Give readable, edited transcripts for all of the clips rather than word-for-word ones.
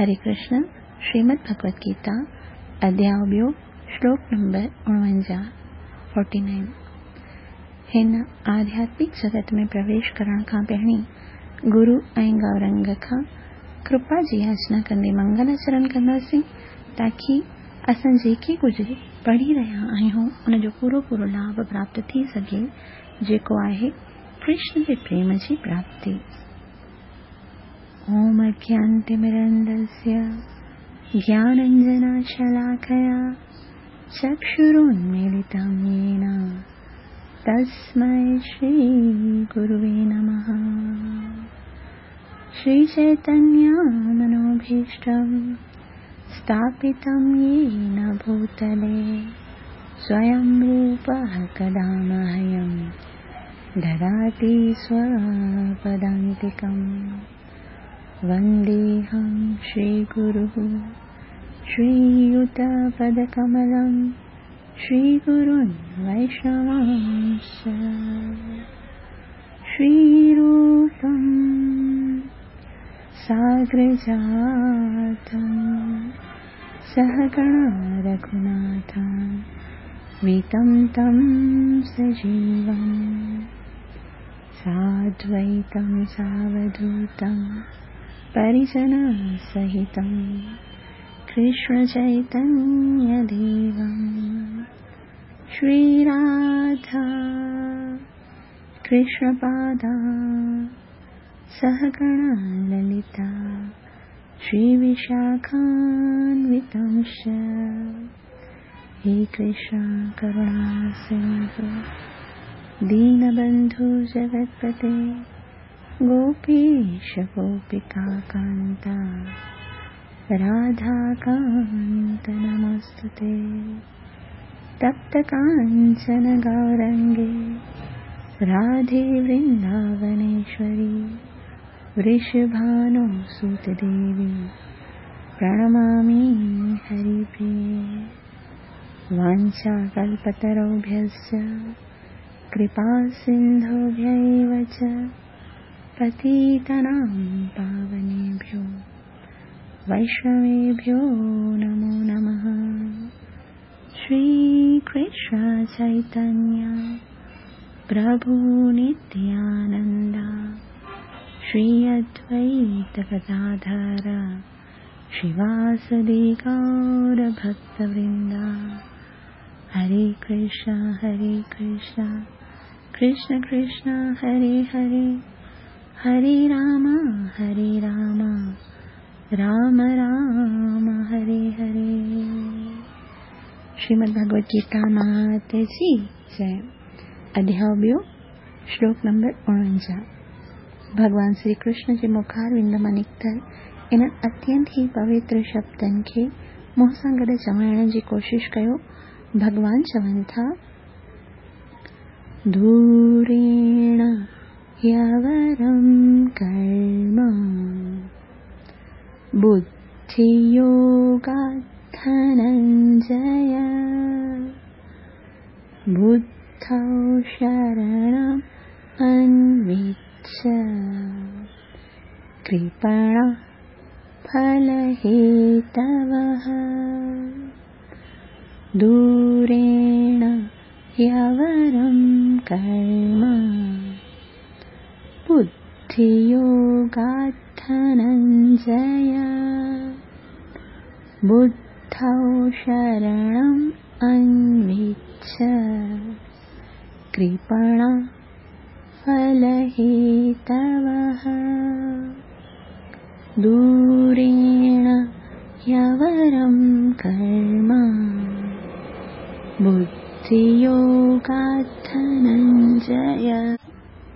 हरे कृष्ण, श्रीमद् भगवत गीता, अध्याय ॿियो, श्लोक नंबर 49, 49। हिन आध्यात्मिक जगत में प्रवेश करण खां पहिरीं गुरु ऐं गौरंग खां कृपा जी याचना कंदे मंगलाचरण कंदासीं ताकी असां जेके कुझु पढ़ी रहिया आहियूं उनजो पूरो पूरो लाभ प्राप्त थी सघे, जेको आहे कृष्ण जे प्रेम जी प्राप्ति। ॐ अज्ञानतिमिरन्धस्य ज्ञानाञ्जनशलाकया चक्षुरुन्मीलितं येन तस्मै श्रीगुरुवे नमः। श्रीचैतन्यमनोभीष्टं स्थापितं येन भूतले स्वयं रूपः कदा मह्यं ददाति स्वपदान्तिकम्। वन्देऽहं श्रीगुरुः श्रीयुतपदकमलं श्रीगुरुन् वैष्णवांश्च। श्रीरूपं साग्रजातं सहगणा रघुनाथं वितं तं सजीवं साद्वैतं सावधूतं परिजनसहितं कृष्णचैतन्यदेवं। श्रीराधा कृष्णपादा सहगणा ललिता श्रीविशाखान्वितांश्च। हे कृष्ण करुणा सिन्धु दीनबन्धु जगत्पते गोपीश गोपिकान्ता राधाकान्त नमोऽस्तुते। तप्तकाञ्चन गौरङ्गे राधे वृन्दावनेश्वरी वृषभानुसुतदेवी प्रणमामि हरिप्रिये। वाञ्छाकल्पतरुभ्यश्च कृपासिन्धुभ्य एव च पतितानां पावनेभ्यो वैष्णवेभ्यो नमो नमः। श्रीकृष्ण चैतन्य प्रभु नित्यानन्द श्री अद्वैत गदाधर श्रीवासदि गौरभक्तवृन्द। हरे कृष्ण हरे कृष्ण कृष्ण कृष्ण हरे हरे, हरे राम हरे राम राम राम हरे हरे। श्रीमद् भगवत गीता मात जी जय। अध्याय ॿियो, श्लोक नंबर 49। भॻवान श्री कृष्ण जे मुखारविंद मां निकितल इन्हनि अत्यंत ई पवित्र शब्दनि खे मुंहं सां गॾु चवाइण जी कोशिश कयो। भॻवान चवनि था, दूरेण ह्यवरं कर्म बुद्धियोगात् धनञ्जय बुद्धौ शरणम् अन्विच्छ कृपणः फलहेतवः। दूरेण ह्यवरं कर्म बुद्धियोगात् धनञ्जय बुद्धौ शरणम् अन्विच्छ कृपणः फलहेतवः। दूरेण ह्यवरं कर्म बुद्धियोगात् धनञ्जय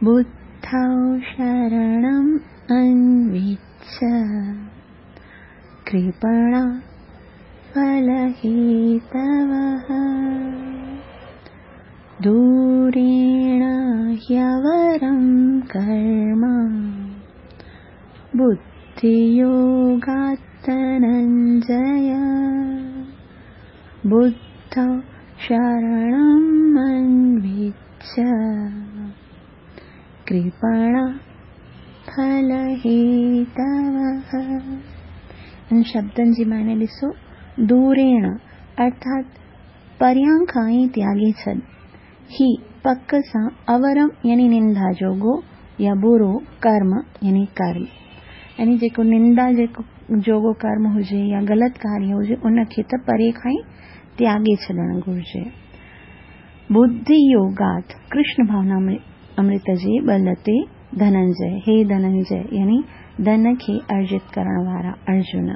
बुद्धौ शरणम् अन्विच्छ कृपणः फलहेतवः। दूरेण ह्यवरं कर्म बुद्धियोगात् धनञ्जय बुद्धौ शरणम् अन्विच्छ कृपणः फलहेतवः। ان شبدن جي معني ڏسو، دوريڻ ارٿات پريان کان ئي تياڳي ڇڏ. هي پڪ سان اورم يعني نندا جوڳو يا برو ڪرم يعني ڪرم يعني جيڪو نندا جوڳو ڪرم هجي يا غلط ڪاريه هجي ان کي ته پري کان ئي تياڳي ڇڏڻ گهرجي. ٻڌي يوگات، ڪرشن ڀاونا امرت جي ٻل تي ڌننجي، هي ڌننجي يعني ڌن کي ارجت ڪرڻ وارا ارجن.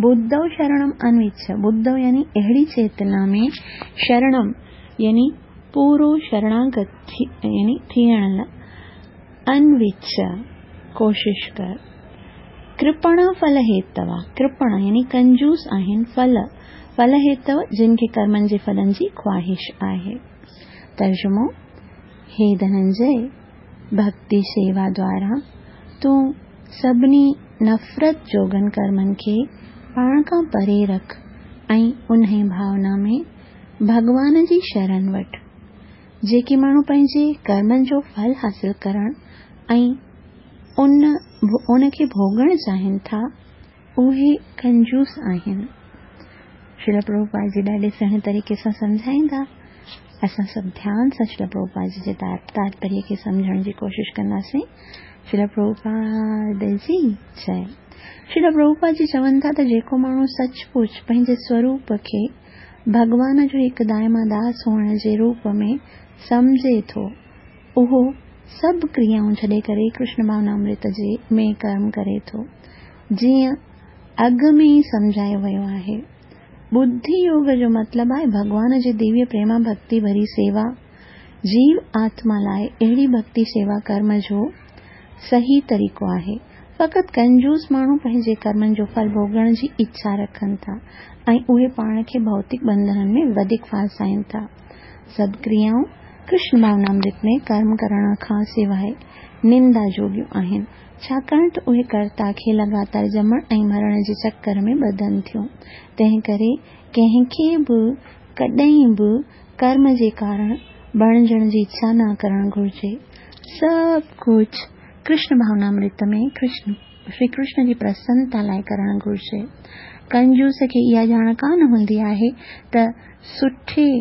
ٻڌو شرڻم انوڇ، ٻڌو يعني اهڙي چيتنا ۾ شرڻم يعني پورو شرڻاگت يعني ٿيڻ لاء انوڇ، ڪوشش ڪر. ڪرپڻ ڦل هيتوا، ڪرپڻ يعني ڪنجوس آهن، ڦل، ڦل هيتو جن کي ڪرمن جي ڦلن جي خواهش آهي. ترجمو، هي ڌننجي! ڀڳتي شيوا دوارا تون سڀني نفرت جوڳن ڪرمن کي پاڻ کان پري رک ۽ انهي ڀاونا ۾ ڀڳوان جي شرن وٺ. جيڪي ماڻهو پنهنجي ڪرمن جو ڦل حاصل ڪرڻ ۽ ان کي ڀوڳڻ چاهين ٿا، اهي ڪنجوس آهن. شريل پرڀوپاد جي ڏاڍي سهڻي طريقي سان سمجهائيندا. اسان سڀ ڌيان سان شريل پرڀوپاد جي جي تاتپريه کي سمجهڻ جي ڪوشش ڪنداسين. شريل پرڀوپاد جي جئي. شريل پرڀوپاد جي چون ٿا ته جيڪو ماڻهو سچ پچ پنهنجي سوروپ کي ڀڳوان جو هڪ دائما داس هئڻ جي روپ ۾ سمجهي ٿو، اهو سڀ ڪريائون ڇڏي ڪري ڪرشن ڀاونامرت جي ۾ ڪرم ڪري ٿو. جيئن اڳ ۾ ئي سمجهايو ويو آهي. ٻڌي يوگ جو مطلب آهي ڀڳوان جي ديويه پريما ڀڳتي ڀري سيوا. جيو آتما لاء اهڙي ڀڳتي سيوا ڪرم جو صحيح طريقو آهي. فقط ڪنجوس ماڻهو پنهنجي ڪرمن جو ڦل ڀوڳڻ جي اڇا رکن ٿا ۽ اهي پاڻ کي ڀوتڪ ٻنڌنن ۾ وڌيڪ ڦاسائين ٿا. سڀ ڪريائون ڪرشن ڀاونامرت ۾ ڪرم ڪرڻ کان سواء نندا جوڳيون آهن، ڇاڪاڻ ته اهي ڪرتا کي لڳاتار ڄمڻ ۽ مرڻ جي چڪر ۾ ٻڌن ٿيون. تنهنڪري ڪنهن کي به ڪڏهن به ڪرم جي ڪارڻ بڻجڻ جي اڇا نه ڪرڻ گهرجي. سڀ ڪجهه ڪرشن ڀاونامرت ۾ شري ڪرشن جي پرسنتا لاء ڪرڻ گهرجي. ڪنجوس کي اها ڄاڻ ڪانه هوندي آهي ته سٺي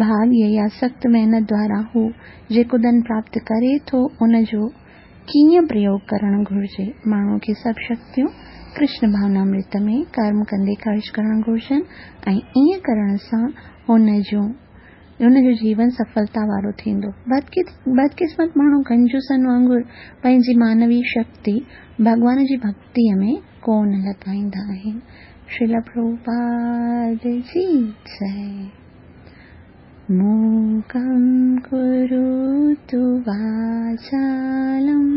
ڀاڳيه يا سخت محنت دوارا هو جيڪو ڌن پراپت ڪري ٿو ان جو ڪيئن پريوگ ڪرڻ گهرجي. ماڻهوء کي سڀ شڪتيون ڪرشن ڀاونامرت ۾ ڪرم ڪندي خرچ ڪرڻ گهرجن ۽ ائين ڪرڻ سان هن جو جيون سڦلتا وارو ٿيندو. بدقسمت ماڻهو ڪنجوسن وانگر پنهنجي مانوي شڪتي ڀڳوان جي ڀڳتيء ۾ ڪونه لڳائيندا آهن. شريل پرڀوپاد جي جئي. موڪم ڪروتو واچالم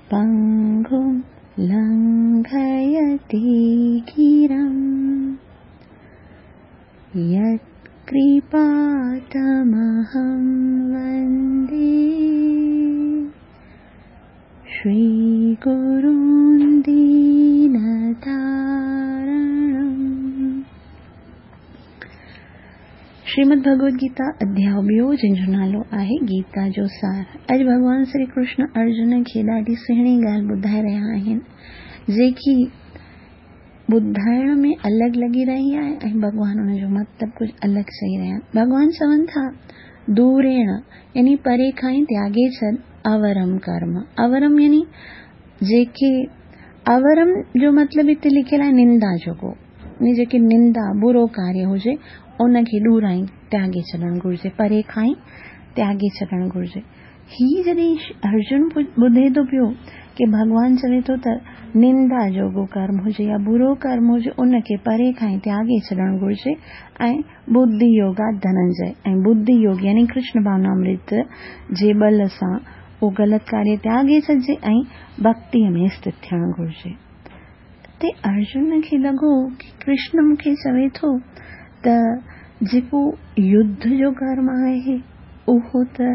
پنگم لنگهيتي گرم يتڪرپا تمهم وندي شري گرون دينتارڻم. شريمد ڀڳوت گيتا اڌياء ٻيو جنهن جو نالو آهي گيتا جو سار. اڄ ڀڳوان شري ڪرشن ارجن کي ڏاڍي سهڻي ڳالهه ٻڌائي رهيا آهن جيڪي ٻڌائڻ ۾ الڳ لڳي رهي آهي ۽ ڀڳوان ان جو مطلب ڪجهه الڳ چئي رهيا آهن. ڀڳوان چون ٿا، دوريڻ يعني پري کان ئي تياڳي ڇڏ اورم ڪرم. اورم يعني جيڪي اورم جو مطلب هتي لکيل آهي نندا جوڳو يعني جيڪي نندا برو ڪاريه هجي ان کي ڏورائين تياڳي ڇڏڻ گهرجي پري کان ئي تياڳي ڇڏڻ گهرجي. هي جڏهن ارجن ٻڌي ٿو پيو ڪي ڀڳوان چوي ٿو ته نندا جوڳو ڪرم هجي يا برو ڪرم هجي ان کي پري کان ئي تياڳي ڇڏڻ گهرجي ۽ ٻڌي يوگا ڌننجي ۽ ٻڌي يوگ يعني ڪرشن ڀاونامرت جي ٻل سان اهو غلط ڪاريه تياڳي ڇڏجي ۽ ڀڳتيء ۾ اسٿت ٿيڻ گهرجي. تي ارجن کي لڳو ڪي ڪرشن مون کي چوي ٿو ته جيڪو يڌ جو ڪرم آهي اهو ته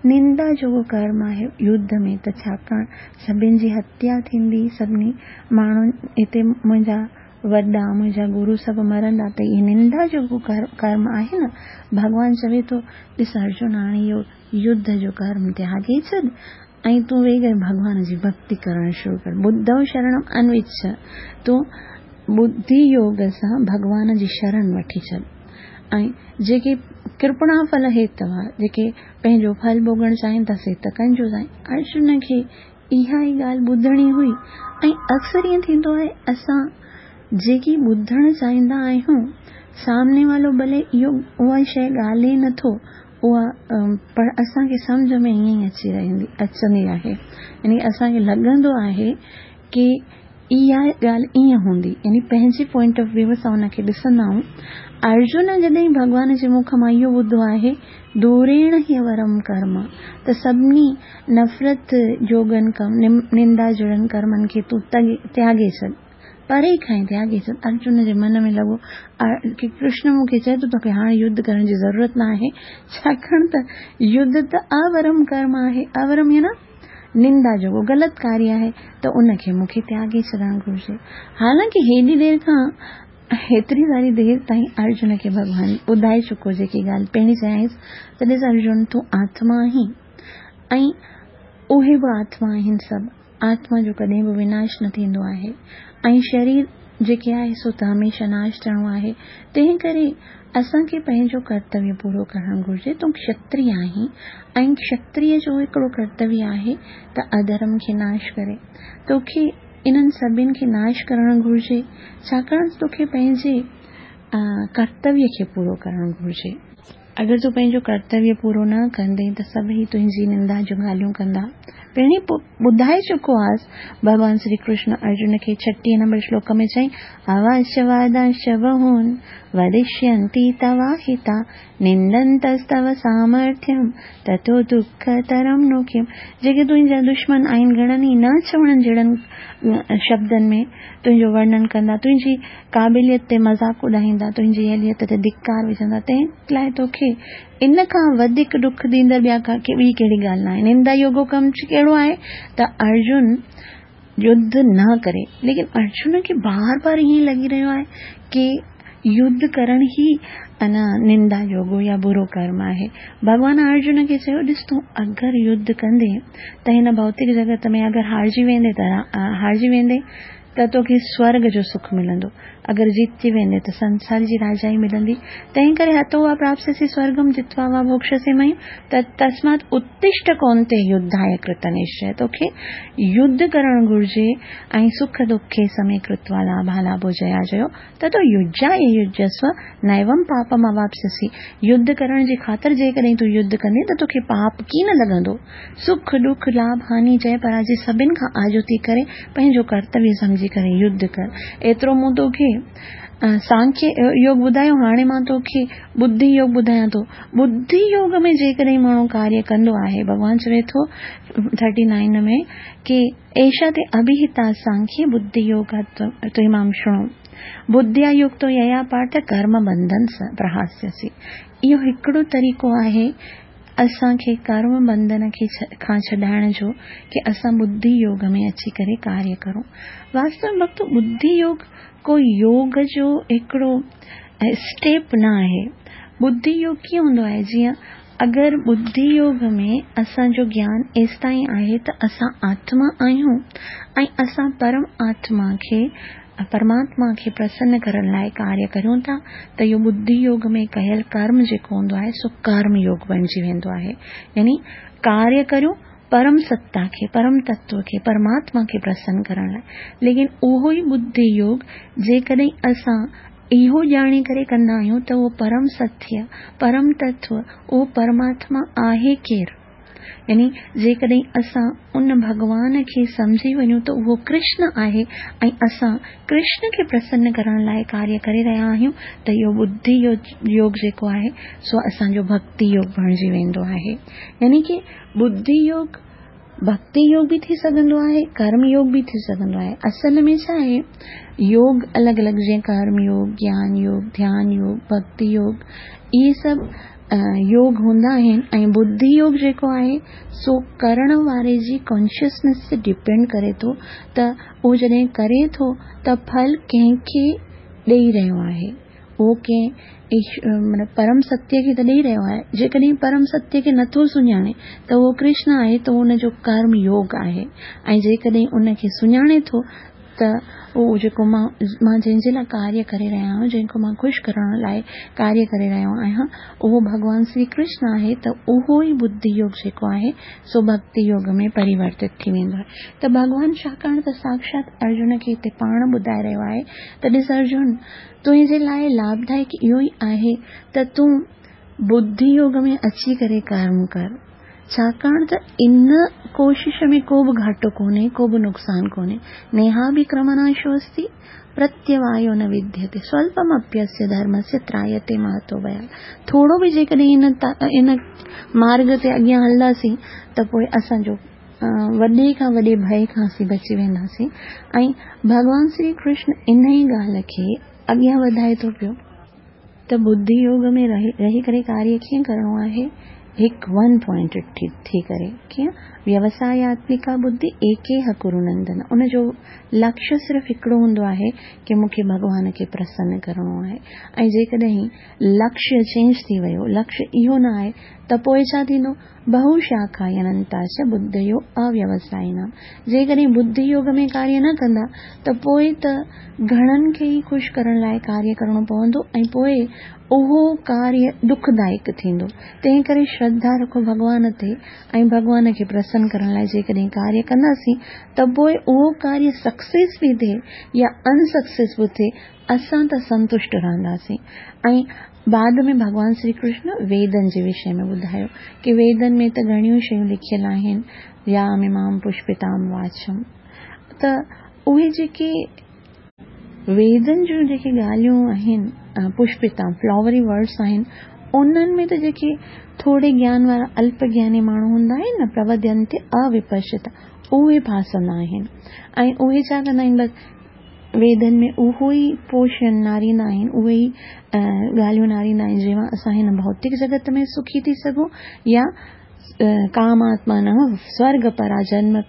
نندا جوڳو ڪرم آهي يڌ ۾ ته ڇاڪاڻ سڀن جي هتيا ٿيندي سڀني ماڻهن هتي منهنجا وڏا منهنجا گرو سڀ مرندا ته اهي نندا جوڳو ڪرم آهي نه ڀڳوان چوي ٿو ڏس ارجن هاڻي اهو يڌ جو ڪرم تياڳي ڇڏ ۽ تون ويهي ڪري ڀڳوان جي ڀڳتي ڪرڻ شروع ڪر. ٻڌو شرڻم انوڇ، تون ٻڌي يوگ سان ڀڳوان جي شرڻ وٺي ڇڏ. ۽ جيڪي ڪرپڻا ڦل هيتوا، جيڪي پنهنجو ڦل ڀوڳڻ چاهين ٿا سي ته ڪن جو سائين. ارجن کي اها ئي ڳالهه ٻڌڻي هئي ۽ اڪثر ائين ٿيندو آهي اسان جيڪي ٻڌڻ چاهيندا آهيون سامني والو ڀلي اهو اها شيء ڳالهي نه ٿو اها پر اسان کي سمجهه ۾ ائين ئي اچي رهندي اچندي آهي يعني اسان کي لڳندو آهي ڪي اها ڳالهه ائين هوندي يعني پنهنجي پوائنٽ آف ويو سان ان کي ڏسندا آهيون. ارجن جڏهن ڀڳوان جي مک مان اهو ٻڌو آهي دوريڻ هي ورم ڪرم ته سڀني نفرت جوڳن ڪم نندا جهڙن ڪرمن کي تون تياڳي ڇڏ پري کان ئي تياڳي ڇڏ. ارجن جي من ۾ لڳو ڪي ڪرشن مون کي چئي ٿو توکي هاڻ يڌ ڪرڻ جي ضرورت نه آهي ڇاڪاڻ ته يڌ ته اورم ڪرم آهي اورم يعني نندا جوڳو غلط ڪاريه آهي ته ان کي مون کي تياڳي ڇڏڻ گهرجي. حالانڪه هيڏي دير کان هيتري ساري دير تائين ارجن کي ڀڳوان ٻڌائي چڪو جيڪي ڳالهه پهرين چيائينس ته ڏس ارجن تون آتما آهين ۽ اهي به آتما آهن سڀ آتما جو ڪڏهن به وناش نه ٿيندو آهي ۽ شرير جيڪي آهي سو ته هميشه ناش ٿيڻو آهي تنهن ڪري اسان کي پنهنجو ڪرتويه پورو ڪرڻ گهرجي تون کشتري آهين ۽ کشتري جو هڪڙو ڪرتويه آهي ته اڌرم کي ناش ڪري توکي انهن سڀن کي ناش ڪرڻ گهرجي ڇاڪاڻ ته توکي پنهنجي ڪرتويه کي پورو ڪرڻ گهرجي. اگر تون پنهنجو ڪرتويه پورو نه ڪندين ته سڀئي تنهنجي نندا جون ڳالهيون ڪندا. پهرين ٻڌائي چڪو آهيس. ڀڳوان شري ڪرشن ارجن کي 36 نمبر شلوڪ ۾ چيائين، اواشوادانشچ بهون ودشينتي تواهتا نندنتستو سامرٿيم تتو دکترم نو ڪم. جيڪي تنهنجا دشمن آهن گهڻن ئي نه چوڻ جهڙن شبدن ۾ تنهنجو ورڻن ڪندا، تنهنجي قابليت تي مذاق اڏائيندا، تنهنجي اهليت تي ڌڪار وجهندا، تنهن لاء توکي ان کان وڌيڪ ڏک ڏيندڙ ٻيا ٻي ڪهڙي ڳالهه ناهي. نندا يوگو ڪم ڪهڙو آهي ته ارجن يڌ نه ڪري. ليڪن ارجن کي بار بار ائين لڳي رهيو آهي ڪي يڌ ڪرڻ ئي انا نندا يوگو يا برو ڪرم آهي. ڀڳوان ارجن کي چيو ڏس تون اگر يڌ ڪندين ته هن ڀوتڪ جڳت ۾ اگر هارجي ويندين ته هارجي ويندين ته توکي سورڳ جو سک ملندو. اگر جيتجي ويندين ته سنسار جي راجائي ملندي. تنهن ڪري هتو وا پراپسيسي سورڳم جتوا وا ڀوڪشسي مهيم ته تسمات اتشٺ ڪونتي يڌايه ڪرت نشچيه توکي يڌ ڪرڻ گهرجي ۽ سک دکي سمي ڪرتوا لاڀالاڀو جيا جيو تتو يجايه يجسو نيوم پاپم اواپسيسي يڌ ڪرڻ جي خاطر جيڪڏهن تون يڌ ڪندين ته توکي پاپ ڪين لڳندو. سک، ڏک، لاڀ، هاني، جئه پراجي سڀن کان آجو ٿي ڪري پنهنجو ڪرتويه سمجهي ڪري يڌ ڪر. ايترو مون توکي سانکيه يوگ ٻڌايو هاڻي مان توکي ٻڌي يوگ ٻڌايان ٿو. ٻڌي يوگ ۾ جيڪڏهن ماڻهو ڪاريه ڪندو آهي ڀڳوان چوي ٿو ٿرٽي نائين ۾ ڪي ايشا تي اڀيهتا سانکيه ٻڌي يوگ تمام شڻو ٻڌيا يڪتو ييا پارٿ ڪرم بنڌن پرهاسيسي. اهو هڪڙو طريقو آهي اسان کي ڪرم بنڌن کي کان ڇڏائڻ جو ڪي اسان ٻڌي يوگ ۾ اچي ڪري ڪاريه ڪرون. واستو ۾ ڀڳتو ٻڌي يوگ ڪو يوگ جو هڪڙو اسٽيپ نه آهي. ٻڌي يوگ ڪيئن هوندو آهي جيئن اگر ٻڌي يوگ ۾ اسان جو گيان ايستائين آهي ته اسان آتما آهيون ۽ اسان پرم آتما کي، پرماتما کي پرسن ڪرڻ لاء ڪاريه ڪريون ٿا ته اهو ٻڌي يوگ ۾ ڪيل ڪرم جيڪو هوندو آهي سو ڪرم يوگ بڻجي ويندو آهي يعني ڪاريه ڪريون پرم ستا کي، پرم تتو کي، پرماتما کي پرسن ڪرڻ لاء ليڪن اهو ئي ٻڌي يوگ جيڪڏهن اسان اهو ڄاڻي ڪري ڪندا آهيون ته اهو پرم ستيه، پرم تتو، اهو پرماتما آهي ڪير؟ يعني جيڪڏهن اسان ان ڀڳوان کي سمجهي وڃون ته اهو ڪرشن آهي ۽ اسان ڪرشن کي پرسن ڪرڻ لاء ڪاريه ڪري رهيا آهيون ته اهو ٻڌي يوگ جيڪو آهي سو اسان جو ڀڳتي يوگ بڻجي ويندو آهي. يعني ڪي ٻڌي يوگ ڀڳتي يوگ به ٿي سگهندو آهي، ڪرم يوگ به ٿي سگهندو آهي. اصل ۾ ڇا آهي، يوگ الڳ الڳ جيئن ڪرم يوگ، گيان يوگ، ڌيان يوگ، ڀڳتي يوگ، اهي سڀ يوگ هوندا آهن ۽ ٻڌي يوگ جيڪو آهي سو ڪرڻ واري جي ڪانشسنيس تي ڊپينڊ ڪري ٿو ته اهو جڏهن ڪري ٿو ته ڦل ڪنهن کي ڏئي رهيو آهي. اهو ڪنهن مطلب پرم ستيه کي ته ڏئي رهيو آهي. جيڪڏهن پرم ستيه کي نٿو سڃاڻي ته اهو ڪرشن آهي ته ان جو ڪرم يوگ آهي ۽ جيڪڏهن ان کي سڃاڻي ٿو ته اهو جيڪو مان مان جنهن جي لاء ڪاريه ڪري رهيو آهيان، جنهن کي مان خوش ڪرڻ لاء ڪاريه ڪري رهيو آهيان، اهو ڀڳوان شري ڪرشن آهي ته اهو ئي ٻڌي يوگ جيڪو آهي سو ڀڳتي يوگ ۾ پريورتت ٿي ويندو آهي ته ڀڳوان ڇاڪاڻ ته ساڪشات ارجن کي هتي پاڻ ٻڌائي رهيو آهي ته ڏس ارجن تنهنجي لاء لاڀدائڪ اهو ئي آهي ته تون ٻڌي يوگ ۾ اچي ڪري ڪرم ڪر. ڇاڪاڻ ته ان ڪوشش ۾ ڪو به گهاٽو ڪونهي، ڪو به نقصان ڪونهي. نيهاڀڪرمناشو استي، پرتيوايو نه وديتي، سولپمپيسيه ڌرمسيه ترايتي مهتو ڀيات. ٿورو به جيڪڏهن ان مارڳ تي اڳيان هلنداسين ته پوء اسان جو وڏي کان وڏي ڀئي کان اسين بچي وينداسين ۽ ڀڳوان شري ڪرشن انهي ڳالهه کي اڳيان وڌائي ٿو پيو. ته ٻڌي يوگ ۾ رهي ڪري ڪاريه ڪيئن ڪرڻو آهي؟ هڪ ون پوائنٽيڊ ٿي ڪري ڪيئن؟ ويوساياتمڪا ٻڌي ايڪيهه ڪرو نندن ان جو لڪشيه صرف هڪڙو هوندو آهي ڪي مون کي ڀڳوان کي پرسن ڪرڻو آهي ۽ جيڪڏهن لڪشيه چينج ٿي ويو لڪشيه اهو نه آهي ته پوء ڇا ٿيندو؟ بهو شاکا اننتا چ ٻڌيو اويوسائنام جيڪڏهن ٻڌي يوگ ۾ ڪاريه نه ڪندا ته پوء ته گهڻن کي ئي خوش ڪرڻ لاء ڪاريه ڪرڻو پوندو ۽ پوء اهو ڪاريه دکدائڪ ٿيندو. تنهن ڪري شرڌا رکو ڀڳوان تي ۽ ڀڳوان کي پرسن ڪرڻ لاء جيڪڏهن ڪاريه ڪنداسين ته پوء اهو ڪاريه سڪسيس به ٿئي يا ان سڪسيس به ٿئي اسان ته سنتشٽ رهنداسين ۽ بعد ۾ ڀڳوان شري ڪرشن ويدن جي وشي ۾ ٻڌايو ڪي ويدن ۾ ته گهڻيون شيون لکيل آهن ياميمام پشپتام واچم ته اهي جيڪي ويدن جون جيڪي ڳالهيون آهن پشپتام فلاوري ورڊس آهن انهن ۾ ته جيڪي ٿوري گيان وارا الپ گياني ماڻهو هوندا آهن نه پروڌينتي اوپشتا اهي ڦاسندا آهن ۽ اهي ڇا ڪندا آهن بس ويدن ۾ اهو ئي پوشن ناريندا آهن، اهي ئي ڳالهيون ناريندا آهن، جنهن مان اسان هن ڀوتڪ جڳت ۾ سکي ٿي سگهون يا ڪاماتمانه سورڳ پرا جنم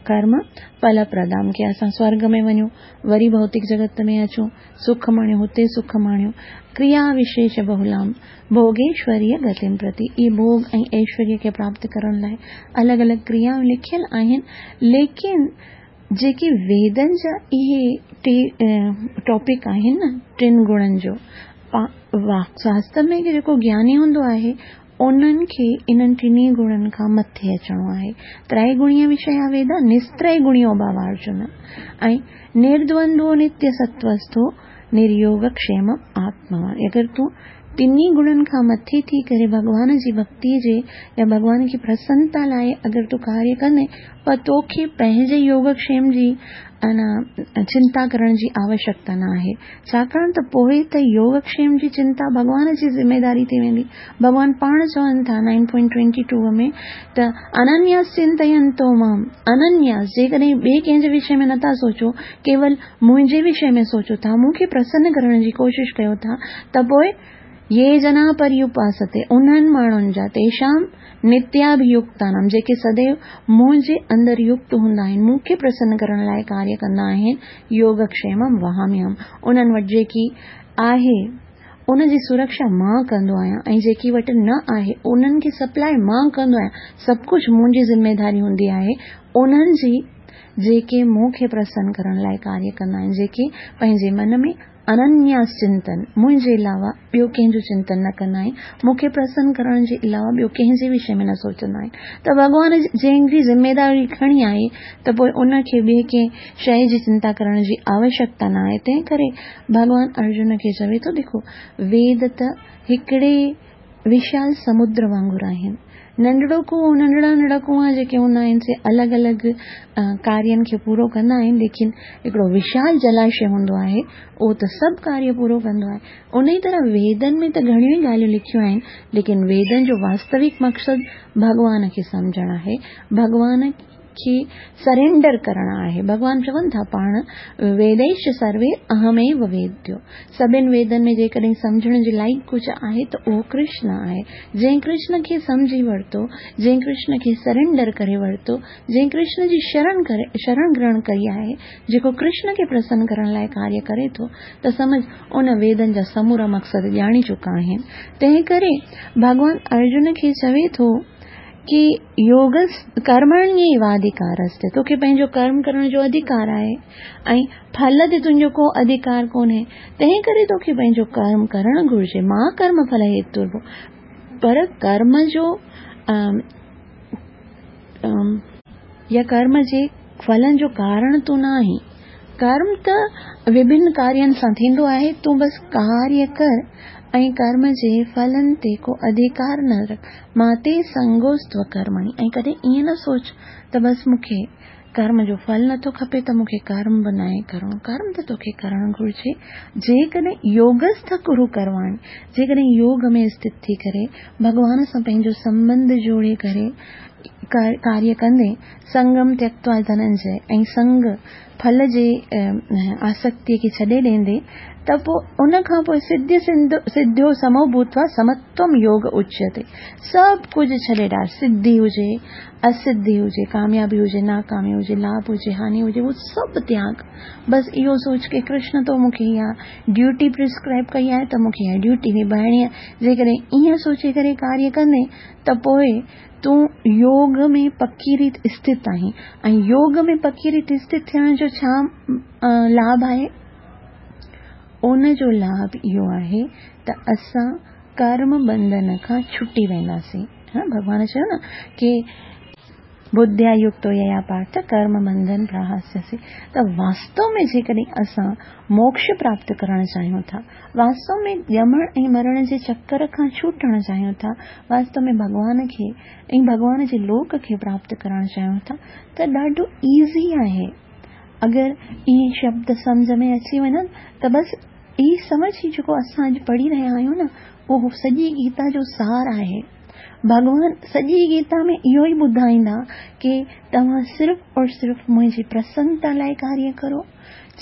ڪرم ڦل پردام ڪي اسان سورڳ ۾ وڃون وري ڀوتڪ جڳت ۾ اچون سک ماڻيون هتي سک ماڻيون ڪريا وشيش بهولام ڀوڳيشوريه گتيم پرتي اهي ڀوڳ ۽ ايشوريه کي پراپت ڪرڻ لاء الڳ الڳ ڪريائون لکيل آهن ليڪن جيڪي ويدن جا اهي ٽي ٽاپڪ آهن نه ٽن گڻن جو واستو ۾ جيڪو گياني هوندو آهي انهن کي انهن ٽنهي گڻن کان مٿي اچڻو آهي ترائي گڻيه وشيا ويدا نسترئي گڻيو ڀاو ارجن ۽ نردوندو نتيه ستوستو نريوگ کشيم آتموان اگر تون ٽنهي گڻن کان مٿي ٿي ڪري ڀڳوان جي ڀڳتي جي يا ڀڳوان کي پرسنتا لاء اگر تون ڪاريه ڪندين پر توکي پنهنجي يوگڪشيم جي انا چنتا ڪرڻ جي آوشڪتا نه آهي ڇاڪاڻ ته پوء ته يوگڪشيم جي چنتا ڀڳوان جي ذميداري ٿي ويندي ڀڳوان پاڻ چون ٿا نائن پوائنٽ ٽوئنٽي ٽو ۾ ته اننياس چنتينتو مام اننياس جيڪڏهن ٻئي ڪنهن جي وشي ۾ نٿا سوچو ڪيول منهنجي وشي ۾ سوچو ٿا، مون کي پرسن ڪرڻ جي ڪوشش ڪيو ٿا ته پوء يي جنا پريوپاستي، انهن ماڻهن جا، تيشام نتياڀيوڪتانام، جيڪي سديو منهنجي اندر يڪت هوندا آهن، مون کي پرسن ڪرڻ لاء ڪاريه ڪندا آهن، يوگڪشيمم وهاميهم، انهن وٽ جيڪي آهي، ان جي سرڪشا مان ڪندو آهيان ۽ جيڪي وٽ نه آهي، انهن کي سپلاء مان ڪندو آهيان، سڀ ڪجهه منهنجي ذميداري هوندي آهي، انهن جي. جيڪي مون کي پرسن ڪرڻ لاء ڪاريه ڪندا آهن، جيڪي پنهنجي من ۾ اننياس چنتن، منهنجي علاوه ٻيو ڪنهن جو چنتن نه ڪندا آهن، مون کي پرسن ڪرڻ جي علاوه ٻيو ڪنهن جي وشي ۾ نه سوچندا آهن ته ڀڳوان جنهن جي ذميداري کڻي آهي ته پوء ان کي ٻئي ڪنهن شيء جي چنتا ڪرڻ جي آوشڪتا نه آهي، تنهن ڪري ڀڳوان ارجن کي چوي ٿو ڏکو ويد ته هڪڙي وشال سمنڊ وانگر آهن. ننڍڙو ڪوئو، ننڍڙا ننڍڙا ڪوئا جيڪي هوندا آهن سي الڳ الڳ ڪارين کي پورو ڪندا آهن ليڪن هڪڙو وشال جلاشي هوندو آهي اهو ته سڀ ڪاريه پورو ڪندو آهي. انهي طرح ويدن ۾ ته گهڻيون ئي ڳالهيون لکيون آهن ليڪن ويدن جو واستوڪ مقصد ڀڳوان کي سمجهڻ آهي. ڀڳوان. کي سرينڊر ڪرڻ آهي. ڀڳوان چون ٿا پاڻ ويديش سروي اهميو ويديو، سڀن ويدن ۾ جيڪڏهن سمجهڻ جي لائق ڪجهه آهي ته اهو ڪرشن آهي. جنهن ڪرشن کي سمجهي ورتو، جنهن ڪرشن کي سرينڊر ڪري ورتو، جنهن ڪرشن جي شرڻ ڪري شرڻ گرهڻ ڪئي آهي، جيڪو ڪرشن کي پرسن ڪرڻ لاء ڪاريه ڪري ٿو ته سمجهه ان ويدن جا سمورا مقصد ڄاڻي چڪا آهن. تنهن ڪري ڀڳوان ارجن کي چوي ٿو ڪي يوگ ڪرمڻيواڌڪارستي، توکي پنهنجو ڪرم ڪرڻ جو اڌڪار آهي ۽ ڦل تي تنهنجو ڪو اڌڪار ڪونهي، تنهن ڪري توکي پنهنجو ڪرم ڪرڻ گهرجي. ما ڪرم ڦل هيترڀو، پر ڪرم جو يا ڪرم جي ڦلن جو ڪارڻ تون نه آهين. ڪرم ته وڀن ڪارين سان ٿيندو آهي، تون بس ڪاريه ڪر ۽ ڪرم جي ڦلن تي ڪو اڌڪار نه رک. ما تي سنگوستو ڪرمڻي، ۽ ڪڏهن ائين نه سوچ ته بس مون کي ڪرم جو ڦل نٿو کپي ته مون کي ڪرم به ناهي ڪرڻو. ڪرم ته توکي ڪرڻ گهرجي. جيڪڏهن يوگسٿ ڪرو ڪرواڻي، جيڪڏهن يوگ ۾ اسٿت ٿي ڪري ڀڳوان سان پنهنجو سنٻنڌ جوڙي ڪري ڪاريه ڪندين، سنگم تيڪتوا ڌننجي، ۽ سنگ، ڦل جي آسڪتيء کي ڇڏي ڏيندين ته پوء ان کان پوء سڌ سڌيو سمو ڀوتوا سمتوم يوگ اچيتي. سڀ ڪجهه ڇڏي ڏار، سڌي هجي، اسڌي هجي، ڪاميابي هجي، ناڪامي هجي، لاڀ هجي، هاني هجي، اهو سڀ تياڳ. بس اهو سوچ ڪي ڪرشن تو مون کي اها ڊيوٽي پرسڪرائب ڪئي آهي ته مون کي اها ڊيوٽي نڀائڻي آهي. جيڪڏهن ائين سوچي ڪري ڪاريه ڪندين ته پوء تون يوگ ۾ پڪي ريت اسٿت آهين ۽ يوگ ۾ پڪي ريت اسٿت ٿيڻ جو ڇا لاڀ آهي؟ ان جو لاڀ اهو آهي ته اسان ڪرم بنڌن کان ڇٽي وينداسين. ڀڳوان چيو نه ڪي ٻڌيا يڪتو ييا پارٿ ڪرم بنڌن پراهاسيسي، ته واستو ۾ جيڪڏهن اسان موڪش پراپت ڪرڻ چاهيون ٿا، واستو ۾ ڄمڻ ۽ مرڻ جي چڪر کان ڇوٽڻ چاهيون ٿا، واستو ۾ ڀڳوان کي ۽ ڀڳوان جي لوڪ کي پراپت ڪرڻ چاهيون ٿا ته ڏاڍو ايزي آهي. اگر اهي شبد سمجهه ۾ اچي وڃن ته بس هي سمجهه هي جيڪو اسان اڄ پڙهي رهيا آهيون نه اهو سڄي گيتا جو سار آهي. ڀڳوان سڄي گيتا ۾ اهو ئي ٻڌائيندا ڪي توهان صرف اور صرف منهنجي پرسنتا لاء ڪاريه ڪرو،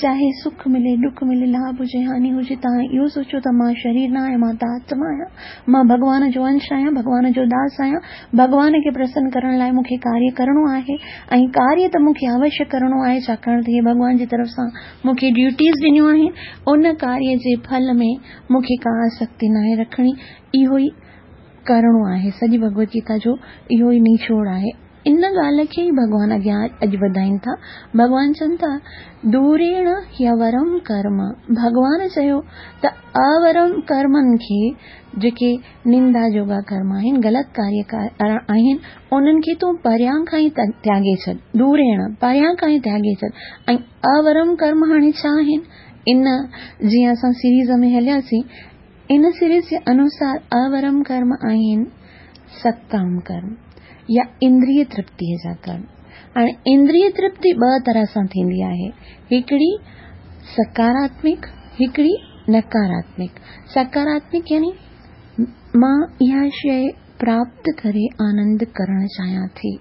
چاهي سک ملي، ڏک ملي، لاڀ هجي، هاني هجي، توهان اهو سوچو ته مان شرير نه آهيان، مان ته آتما آهيان، مان ڀڳوان جو انش آهيان، ڀڳوان جو داس آهيان، ڀڳوان کي پرسن ڪرڻ لاء مون کي ڪاريه ڪرڻو آهي ۽ ڪاريه ته مون کي اوشيه ڪرڻو آهي، ڇاڪاڻ ته هي ڀڳوان جي طرف سان مون کي ڊيوٽيز ڏنيون آهن، ان ڪاريه جي ڦل ۾ مون کي ڪا آسڪتي ناهي رکڻي، اهو ئي ڪرڻو آهي. سڄي ڀڳوت گيتا جو اهو ئي نچوڙ آهي. ان ڳالهه کي ئي ڀڳوان اڳيان اڄ وڌائين ٿا. ڀڳوان چون ٿا، دوريڻ هيورم ڪرم. ڀڳوان چيو ته اورم ڪرمن کي، جيڪي نندا جوڳا ڪرم آهن، غلط ڪاريه آهن، انهن کي تون پريان کان ئي تياڳي ڇڏ. دوريڻ، پريان کان ئي تياڳي ڇڏ. ۽ اورم ڪرم هاڻي ڇا آهن؟ ان جيئن اسان سيريز ۾ هلياسين، ان سيريز جي انوسار اورم ڪرم آهن سڪام ڪرم يا اندريه ترپتيء جا ڪرم. هاڻي اندريه ترپتي ٻه طرح سان ٿيندي آهي، هڪڙي سڪاراتمڪ، هڪڙي نڪاراتمڪ. سڪاراتمڪ يعني مان اها شيء پراپت ڪري آنند ڪرڻ چاهيان ٿي،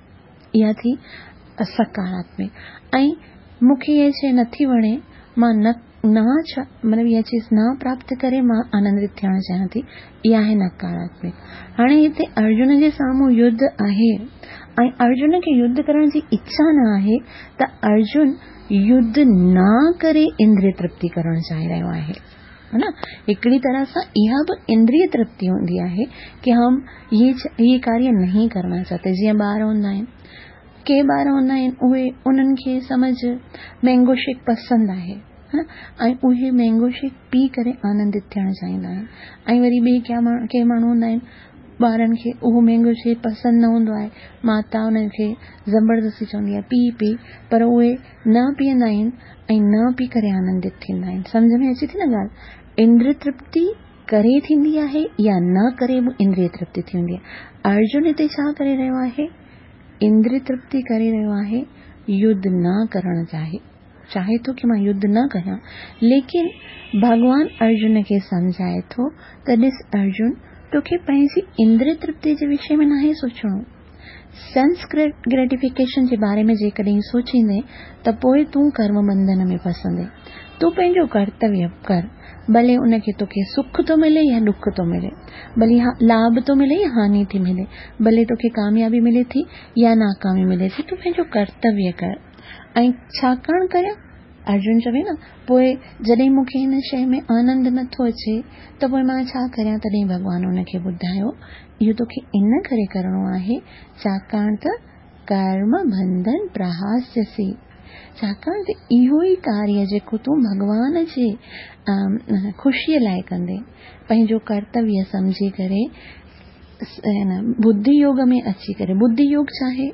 اها ٿي سڪاراتمڪ. ۽ مون کي اها شيء نٿي وڻي، مان نه نه ڇا مطلب اها چيز نه پراپت ڪري مان آنندت ٿيڻ چاهيان ٿي، اها آهي نڪاراتمڪ. هاڻي هتي ارجن جي سامهون يڌ آهي ۽ ارجن کي يڌ ڪرڻ جي اڇا نه آهي ته ارجن يڌ نه ڪري اندري ترپتي ڪرڻ چاهي رهيو آهي. ها نه، هڪڙي طرح سان اها به اندري ترپتي هوندي آهي ڪي هم هي ڪاريه نهين ڪرنا چاهتي. جيئن ٻار هوندا آهن، ڪي ٻار هوندا آهن اهي انهن کي سمجهه مينگو شيڪ پسند آهي ها نه، ۽ اهي مينگو شيڪ پي ڪري آنندت ٿيڻ چاهيندا آهن. ۽ وري ٻئي ڪي ماڻهو هوندا آهن ٻارن کي اهو مينگو شيڪ پسند نه هوندو آهي، ماتا انهن کي زبردستي چوندي آهي پي پي، پر اهي نه پيئندا آهن ۽ نه پي ڪري آنندت ٿيندا آهن. سمجهه ۾ اچي ٿي نه ڳالهه؟ اندري ترپتي ڪري ٿيندي آهي يا نه ڪري به اندري ترپتي ٿيندي آهي. ارجن هتي ڇا ڪري رهيو آهي؟ اندري ترپتي ڪري رهيو آهي، يڌ نه ڪرڻ چاهي چاهي ٿو ڪي مان يڌ نه ڪريان، ليڪن ڀڳوان ارجن کي سمجهائي ٿو ته ڏس ارجن، توکي پنهنجي اندري ترپتي جي وشي ۾ ناهي سوچڻو. سينس گريٽيفڪيشن جي باري ۾ جيڪڏهن سوچيندين ته پوء تون ڪرم بنڌن ۾ ڦسندين. تون پنهنجو ڪرتويه ڪر، ڀلي ان کي توکي سک ٿو ملي يا ڏک ٿو ملي، ڀلي لاڀ ٿو ملي يا هاني ٿي ملي، ڀلي توکي ڪاميابي ملي ٿي يا ناڪامي ملي ٿي، تون پنهنجو ڪرتويه ڪر. ۽ ڇاڪاڻ ڪريان؟ ارجن چوي نه، پوء جڏهن مون کي هن شيء ۾ آنند نه ٿو اچي ته پوء مان ڇا ڪريان؟ تڏهن ڀڳوان ان کي ٻڌايو، اهو توکي ان ڪري ڪرڻو آهي، ڇاڪاڻ ته ڪرم بنڌن پرهاسيسي، ڇاڪاڻ ته اهو ئي ڪاريه جيڪو تون ڀڳوان جي خوشيء لاء ڪندين، پنهنجو ڪرتويه سمجهي ڪري ٻڌي يوگ ۾ اچي ڪري، ٻڌي يوگ ڇا آهي؟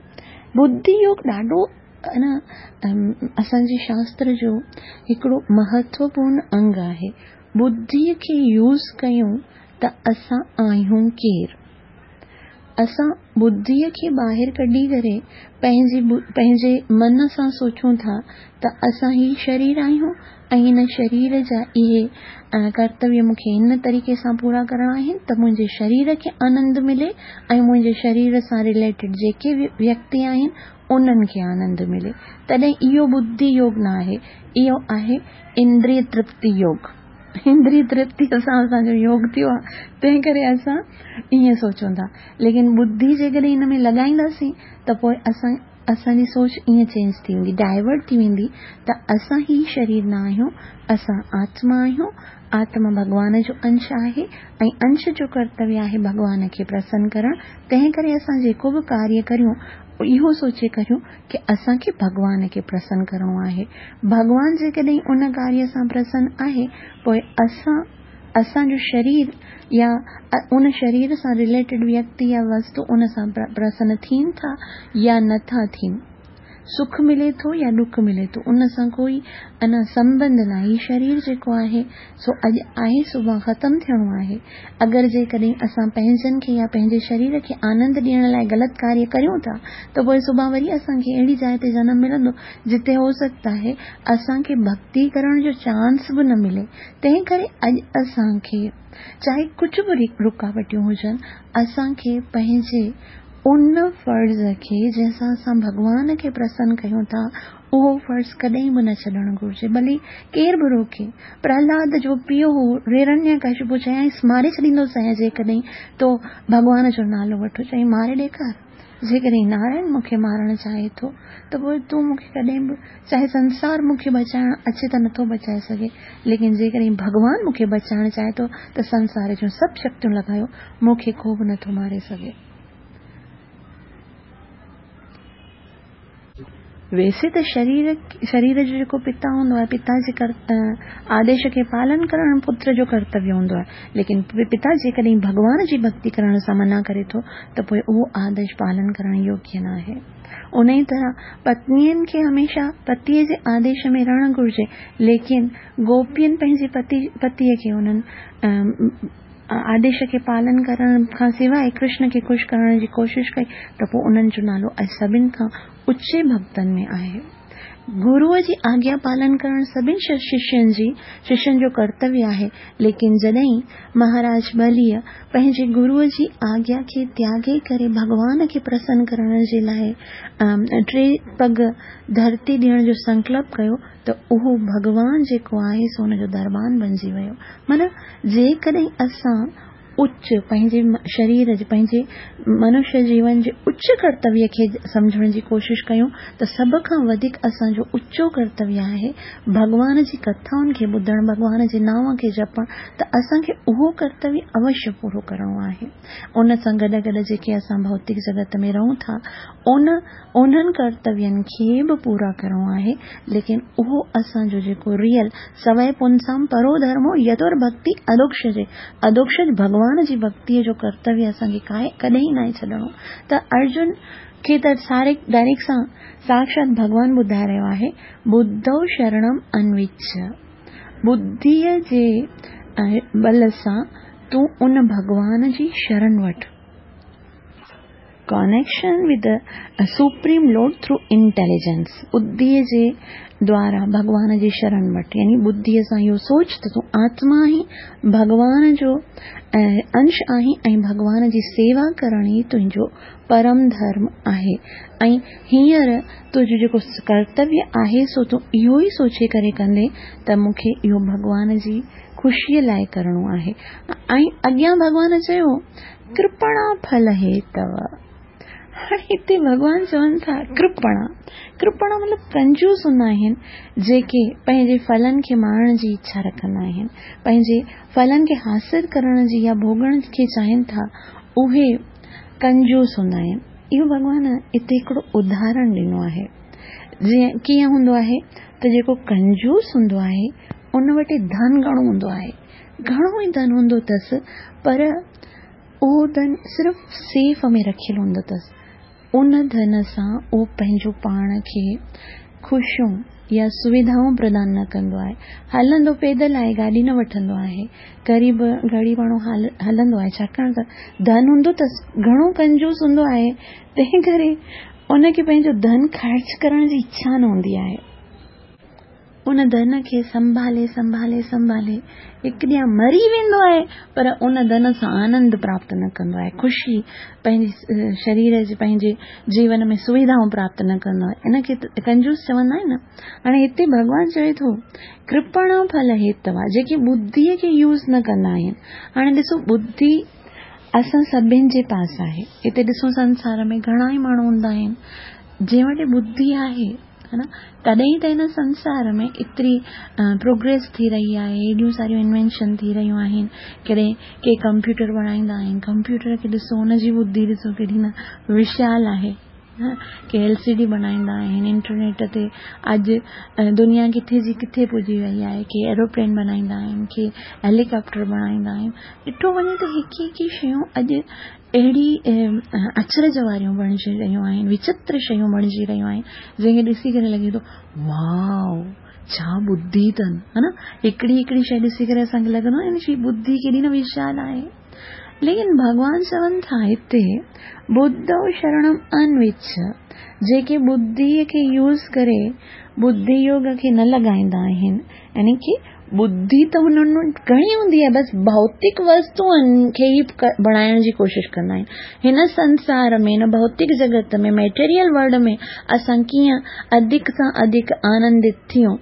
ٻڌي يوگ ڏاڍو اسان جي شاستر جو هڪڙو مهتوپورن انگ آهي. ٻڌيء کي يوز ڪيون ته اسان آهيون ڪير؟ اسان ٻڌيء کي ٻاهر ڪڍي ڪري پنهنجي پنهنجي من سان سوچون ٿا ته اسان هي شرير آهيون ۽ هن شرير جا اهي ڪرتويه مون کي هن طريقي سان پورا ڪرڻا آهن ته منهنجي شرير کي آنند ملي ۽ منهنجي شرير سان رليٽيڊ جيڪي به ويڪتي آهن انهن کي آنند ملي. تڏهن اهو ٻڌي يوگ نه آهي، اهو آهي اندريه ترپتي يوگ. اندريه ترپتيء سان اسان جو يوگ ٿيو آهي، تنهن ڪري اسان ائين سوچون ٿا. ليڪن ٻڌي جيڪڏهن ان ۾ لڳائينداسين ته پوء اسان اسان جي سوچ ائين چينج ٿي ويندي، ڊائيورٽ ٿي ويندي ته اسان هي شرير نه آهيون، اسان آتما آهيون، آتما ڀڳوان جو انش آهي ۽ انش جو ڪرتويه آهي ڀڳوان کي پرسن ڪرڻ، تنهن ڪري اسان جيڪو به ڪاريه ڪريون اهو سوچي ڪريون ڪه اسان کي ڀڳوان کي پرسن ڪرڻو آهي. ڀڳوان جيڪڏهن ان ڪاريه سان پرسن آهي پوء اسان، اسان جو شرير يا ان شرير سان رليٽيڊ ويڪتي يا وستو ان سان پرسن ٿين ٿا يا نه ٿا ٿين. سک ملي ٿو يا ڏک ملي ٿو ان سان ڪوئي انا سنبنڌ ناهي. هي شرير جيڪو آهي سو اڄ آهي سڀان ختم ٿيڻو آهي. اگر جيڪڏهن اسان پنهنجن کي يا پنهنجي شرير کي آنند ڏيڻ لاء غلط ڪاريه ڪريون ٿا ته پوء سڀان وري اسان کي اهڙي جاء تي جنم ملندو جتي هو سگهتا آهي اسان کي ڀڳتي ڪرڻ جو چانس به نه ملي. تنهن ڪري اڄ اسان کي چاهي ڪجهه به رڪاوٽيون هجن اسان کي پنهنجي ان فرض کي جنهن سان اسان ڀڳوان کي پرسن ڪيون ٿا، اهو فرض ڪڏهن به نه ڇڏڻ گهرجي، ڀلي ڪير به روڪي. پرهلاد جو پيء هو هرڻيڪشپو، چيائينس ماري ڇڏيندوسانء جيڪڏهن تو ڀڳوان جو نالو وٺو. چيائين ماري ڏيکار، جيڪڏهن نارائڻ مون کي مارڻ چاهي ٿو ته پوء تون مون کي ڪڏهن به، چاهي سنسار مون کي بچائڻ اچي ته نٿو بچائي سگهي، ليڪن جيڪڏهن ڀڳوان مون کي بچائڻ چاهي ٿو ته سنسار جون سڀ شڪتيون لڳايو، مون کي ڪو به نٿو ماري سگهي. ويسي ته شرير شرير جو جيڪو پتا هوندو آهي، پتا جي آديش کي پالن ڪرڻ پتر جو ڪرتويه هوندو آهي، ليڪن پتا جيڪڏهن ڀڳوان جي ڀڳتي ڪرڻ سان منع ڪري ٿو ته پوء اهو آديش پالن ڪرڻ يوگيه ناهي. انهيء طرح پتنين کي هميشه پتيء جي آديش ۾ رهڻ گهرجي، ليڪن گوپين پنهنجي پتيء کي انهن آديش کي پالن ڪرڻ کان سواء ڪرشن کي خوش ڪرڻ جي ڪوشش ڪئي ته پوء انهن جو نالو اڄ سڀن کان اچي ڀڳتن ۾ آهي. گروء جي آگيا پالن ڪرڻ سڀن ششين جي ششين جو ڪرتويه آهي، ليڪن جڏهن مهاراج ٻليء پنهنجي گروء جي آگيا کي تياڳي ڪري ڀڳوان کي پرسن ڪرڻ جي لاء ٽي پڳ ڌرتي ڏيڻ جو سنڪلپ ڪيو ته اهو ڀڳوان جيڪو آهي سو ان جو دربان بنجي ويو. معنيٰ جيڪڏهن اسان اچ پنهنجي شرير جي پنهنجي منشيه جيون جي اچ ڪرتويه کي سمجهڻ جي ڪوشش ڪيون ته سڀ کان وڌيڪ اسان جو اچو ڪرتويه آهي ڀڳوان جي ڪٿائن کي ٻڌڻ، ڀڳوان جي نانء کي جپڻ ته اسان کي اهو ڪرتويه اوشيه پورو ڪرڻو آهي. ان سان گڏ گڏ جيڪي اسان ڀوتڪ جڳت ۾ رهون ٿا ان انهن ڪرتوين کي به پورا ڪرڻو آهي، ليڪن اهو اسان جو جيڪو ريئل سوئي پنسام پرو ڌرمو يتور ڀڳتي اڌوڪشجي، اڌوڪشج ڀڳوان جي ڀڳتيء جو ڪرتويه اسان کي ڪائي ڪڏهن ناهي ڇڏڻو ته ارجن کي ته ساري ڊائريڪٽ سان ساڪشات ڀڳوان ٻڌائي رهيو آهي ٻڌو شرڻم انويڇ ٻڌيء جي ٻل سان تون ان ڀڳوان جي شرڻ وٺ. Connection with the supreme lord through intelligence ٻڌيء جي دوارا ڀڳوان جي شرڻ وٺ، يعني ٻڌيء سان اهو سوچ ته تون آتما آهين، ڀڳوان جو انش آهين ۽ ڀڳوان جي سيوا ڪرڻ ئي تنهنجو پرم ڌرم آهي ۽ هينئر تنهنجو جيڪو ڪرتويه آهي سو تون اهو ئي سوچي ڪري ڪندين ته مون کي اهو ڀڳوان جي خوشيء لاء ڪرڻو آهي. ۽ اڳيان ڀڳوان چيو، ڪرپڻا ڦل هيتو. هاڻي هتي ڀڳوان چون ٿا ڪرپڻا، ڪرپڻا مطلب ڪنجوس هوندا آهن جيڪي پنهنجي ڦلن کي ماڻڻ جي اڇا رکندا آهن، پنهنجي ڦلن کي حاصل ڪرڻ جي يا ڀوڳڻ کي چاهين ٿا اهي ڪنجوس هوندا آهن. اهو ڀڳوان هتي هڪڙو اداهرڻ ڏنو آهي. جيئن ڪيئن هوندو آهي ته جيڪو ڪنجوس هوندو آهي ان وٽ ڌن گهڻو هوندو آهي، گهڻو ئي ڌن هوندو اٿس پر اهو ڌن صرف سيف ۾ رکيل هوندو اٿس. ان ڌن سان اهو پنهنجو پاڻ کي خوشيون يا سويڌائون پردان نه ڪندو آهي. هلندو پيدل آهي، گاڏي نه وٺندو آهي. غريب غريباڻو هلندو آهي، ڇاڪاڻ ته ڌن هوندو اٿس، گهڻو ڪنجوس هوندو آهي، تنهن ڪري ان کي پنهنجو ڌن خرچ ڪرڻ جي اڇا نه هوندي آهي. ان ڌن کي سنڀالي سنڀالي سنڀالي هڪ ڏينهن مري ويندو آهي پر ان ڌن سان آنند پراپت نه ڪندو آهي، خوشي پنهنجي شرير جي پنهنجي جيون ۾ سويڌائون پراپت نه ڪندو آهي، ان کي ڪنجوس چوندا آهن نه. هاڻي هتي ڀڳوان چوي ٿو ڪرپڻا ڦل هيتوا جيڪي ٻڌيء کي يوز نه ڪندا آهن. هاڻي ڏسو ٻڌي اسان سڀن جي پاس آهي. هتي ڏسو سنسار ۾ گهڻا ئي ماڻهو هوندا آهن جنهن وٽ ٻڌي آهي ها نه تڏهن ئي ته هن سنسار ۾ ايتري پروگريس ٿي رهي آهي ايڏيون ساريون انوينشن ٿي رهيون آهن ڪڏهن ڪي ڪمپيوٽر بڻائيندا آهن ڪمپيوٽر کي ڏسو ان جي ٻڌي ڏسو ڪيڏي نه وشال آهي ڪي ايل سي ڊي بڻائيندا آهن انٽرنيٽ تي اڄ دنيا ڪٿي جي ڪٿي پڄي وئي آهي ڪي ايروپلين بڻائيندا آهن ڪي هيليڪاپٽر بڻائيندا آهن ڏٺو وڃي ته هڪ هڪ شيون اڄ اهڙي اچرج واريون بڻجي رهيون آهن، وچتر شيون بڻجي رهيون آهن، جنهن کي ڏسي ڪري لڳي ٿو واء ڇا ٻڌي اٿن ها نه هڪڙي هڪڙي شيء ڏسي ڪري اسان کي لڳندو آهي هن جي ٻڌي ڪيڏي نه وشال آهي. ليڪن ڀڳوان چون ٿا هتي ٻڌو شرڻم انوچ جيڪي ٻڌيء کي يوز ڪري ٻڌي يوگ کي نه لڳائيندا آهن يعني ڪي ٻڌي ته هنن وٽ گهڻي هوندي آهي بس ڀوتڪ وستوئن کي ئي بڻائڻ جي ڪوشش ڪندا آهن. هن سنسار ۾ هن ڀوتڪ جڳت ۾ ميٽيريل ورلڊ ۾ اسان ڪيئن اڌڪ سان اڌڪ آنندت ٿيون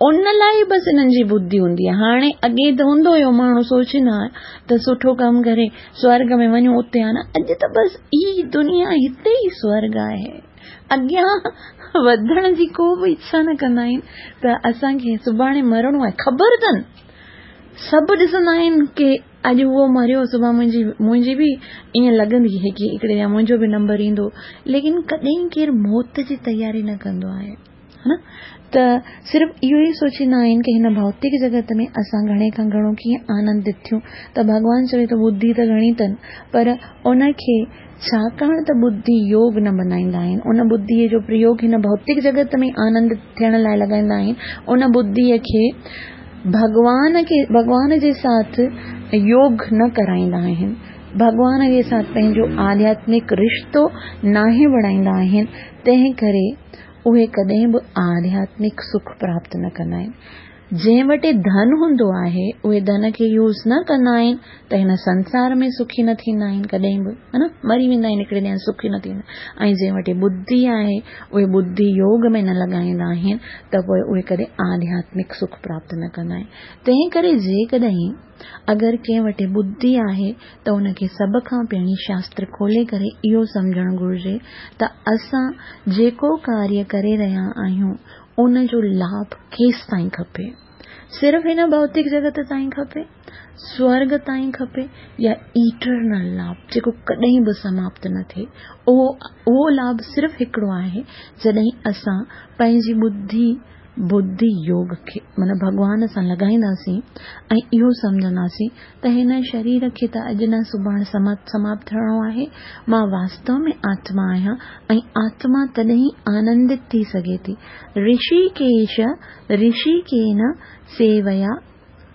ان لاء ئي بس هنن جي ٻڌي هوندي آهي. هاڻي اڳي ته هوندو هيو ماڻهو سوچيندا هئا ته سٺو ڪم ڪري سورڳ ۾ وڃون اتي آ نه اڄ ته بس هي دنيا هتي ئي سورڳ آهي. اڳيان وڌڻ جي ڪو به اڇا نه ڪندا آهن ته اسان کي سڀاڻي مرڻو آهي خبر اٿن سڀ ڏسندا آهن ڪي اڄ اهو مريو سڀاڻي منهنجي منهنجي به ائين لڳندي هي ڪي هڪڙي ڏينهن منهنجو به نمبر ايندو ليڪن ڪڏهن ڪير موت جي تياري نه ڪندو آهي ها نه ته صرف اهو ئي سوچيندا آهن ڪي هن ڀوتڪ جڳت ۾ اسان گهڻي کان گهڻو ڪيئن آنندت ٿيون ته ڀڳوان چوي ٿو ٻڌي ته گهڻي اٿن پر ان کي ڇاڪاڻ ته ٻڌي يوگ نه بنائيندا آهن، ان ٻڌيء جو پريوگ هن ڀوتڪ جڳت ۾ آنند ٿيڻ لاء لڳائيندا آهن، ان ٻڌيء کي ڀڳوان کي ڀڳوان جي ساٿ يوگ نه ڪرائيندا آهن، ڀڳوان جي ساٿ پنهنجو آڌياتمڪ رشتو ناهي بڻائيندا آهن، تنهن ڪري اهي ڪڏهن به آڌياتمڪ سک پراپت نه ڪندا آهن. جنهن وٽ ڌن هوندو آهي اهي ڌن کي يوز نه ڪندا آهن ته هن سنسار ۾ سکي نه ٿيندا آهن ڪڏهن به ها نه مري ويندا آهن هڪڙي ڏينهن سکي نه ٿيندا ۽ جنهن وٽ ٻڌي آهي اهي ٻڌي يوگ ۾ نه لڳائيندا آهن ته پوء اهي ڪڏهن آڌياتمڪ سک پراپت نه ڪندا آهن تنهن ڪري جيڪڏهن اگر ڪنهن وٽ ٻڌي آهي ته ان کي سڀ کان پهرين شاستر کولي ڪري اهو سمجهڻ گهرجي ته اسان جيڪو ڪاريه ڪري رهيا آهيون ان جو لاڀ ڪيستائين کپي؟ صرف هن ڀوتڪ جڳت تائين کپي؟ سورڳ تائين کپي يا ايٽرنل لاڀ جيڪو ڪڏهن به سماپت نه ٿئي؟ اهو اهو لاڀ صرف هڪڙو آهي جڏهن اسان پنهنجي ٻڌي ٻڌي يوگ کي معنيٰ ڀڳوان سان لڳائينداسين ۽ اهو سمجهنداسين ته هن شرير کي ته اڄ نه سڀاڻ سماپت ٿيڻو آهي. مان واستو ۾ آتما آهيان ۽ آتما تڏهن ئي آنندت ٿي سگهي ٿي. رشيڪيش رشيڪين سيويا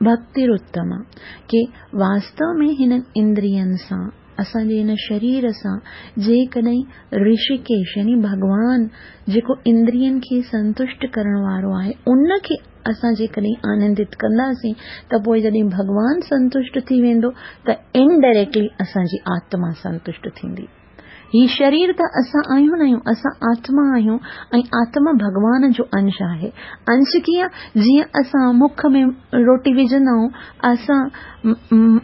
ڀڪتيراتما ڪي واستو ۾ هنن اندرين سان. اسان جي هن شرير سان جيڪڏهن رشيڪيش يعني ڀڳوان جيڪو اندرين کي سنتشٽ ڪرڻ وارو آهي ان کي اسان جيڪڏهن آنندت ڪنداسين ته پوء جڏهن ڀڳوان سنتشٽ ٿي ويندو ته انڊائريڪٽلي اسان جي آتما سنتشٽ ٿيندي. هي شرير ته اسان آهيون نه آهيون، اسان آتما آهيون ۽ آتما ڀڳوان جو انش آهي. انش ڪيئن؟ جيئن اسان مک ۾ روٽي وجهندا آهيون، اسان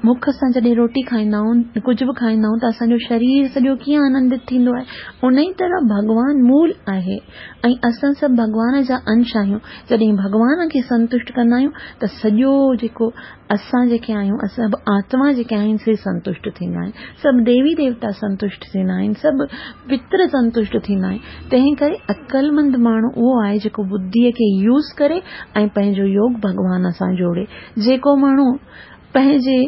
مک سان جڏهن روٽي کائيندا آهيون، ڪجهه به کائيندا آهيون ته اسان جو شرير سڄو ڪيئن آنندت ٿيندو آهي. انهي طرح ڀڳوان مول آهي ۽ اسان سڀ ڀڳوان جا انش آهيون. جڏهن ڀڳوان کي سنتشٽ ڪندا آهيون ته سڄو جيڪو اسان جيڪي آهيون، سڀ آتما جيڪي آهن سي سنتشٽ ٿيندا آهن، سڀ ديوي ديوتا سنتشٽ ٿيندا آهن، سڀ پتر سنتشٽ ٿيندا آهن. تنهن ڪري عقلمند ماڻهو اهو آهي جيڪو ٻڌيء کي يوز ڪري ۽ پنهنجو يوگ ڀڳوان سان جوڙي. جيڪو ماڻهو پنهنجي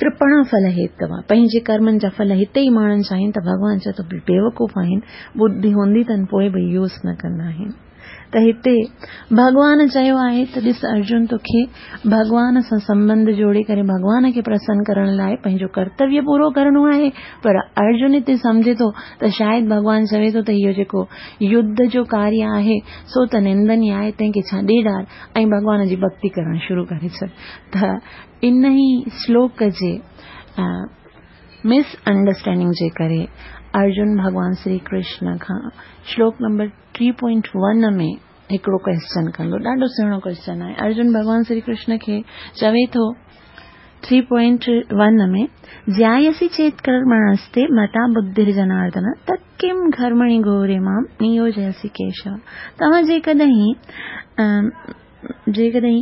ڪرپڻا ڦل هيتوا، پنهنجي ڪرمن جا ڦل هتي ئي ماڻڻ چاهين ته ڀڳوان چئي ٿو بيوقوف آهن، ٻڌي هوندي اٿن پوء به يوز نه ڪندا آهن. ته هتي ڀڳوان چيو آهي ته ڏس ارجن توکي ڀڳوان سان سنٻنڌ جوڙي ڪري ڀڳوان کي پرسن ڪرڻ لاء پنهنجو ڪرتويه پورو ڪرڻو آهي پر ارجن هتي سمجهي ٿو ته شايد ڀڳوان چوي ٿو ته اهو جيڪو يڌ جو ڪاريه آهي سو ته نندنيه آهي تنهن کي ڇڏي ڊال ۽ ڀڳوان جي ڀڳتي ڪرڻ شروع ڪري ڇڏ ته انهي شلوڪ جي مس انڊرسٽينڊنگ جي ڪري ارجن ڀڳوان شري ڪرشن کان شلوڪ نمبر ٽي پوائنٽ ون ۾ هڪڙو ڪويسچن ڪندو ڏاڍو سهڻو ڪويسچن آهي ارجن ڀڳوان شري ڪرشن کي چوي ٿو ٿري پوائنٽ ون ۾ جيايسي چيت ڪرمڻستي متا ٻڌر جناردن تت ڪم گهرمڻي گهوري مام نيوجيسي ڪيشو توهان جيڪڏهن جيڪڏهن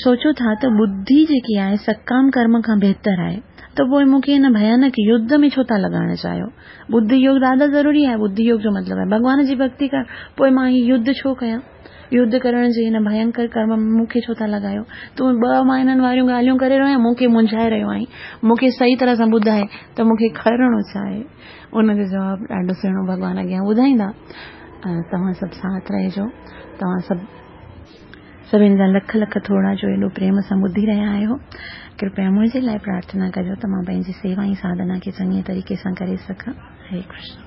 سوچو ٿا ته ٻڌي جيڪي آهي سڪام ڪرم کان بهتر آهي ته پوء مون کي هن ڀيانڪ يڌ ۾ ڇو ٿا لڳائڻ چاهيو؟ ٻڌي يوگ ڏاڍو ضروري آهي، ٻڌي يوگ جو مطلب آهي ڀڳوان جي ڀڳتي ڪرڻ، پوء مان هي يڌ ڇو ڪيان؟ يڌ ڪرڻ جي هن ڀينڪر ڪرم ۾ مون کي ڇو ٿا لڳايو؟ تون ٻه معنائن واريون ڳالهيون ڪري رهيو آهين، مون کي منجهائي رهيو آهين، مون کي صحيح طرح سان ٻڌاء ته مون کي ڪرڻو ڇا آهي؟ ان جو جواب ڏاڍو سهڻو ڀڳوان اڳيان ٻڌائيندا. توهان سڀ ساٿ رهجو. توهان سڀ سڀني جا لک لک ٿورا جو ايڏو پريم سان ٻڌي رهيا آهيو. ڪرپيا منهنجي لاء پرارٿنا ڪجو ته مان پنهنجي سيوا ۽ ساڌنا کي چڱي طريقي سان ڪري سگهان. هري ڪرشن.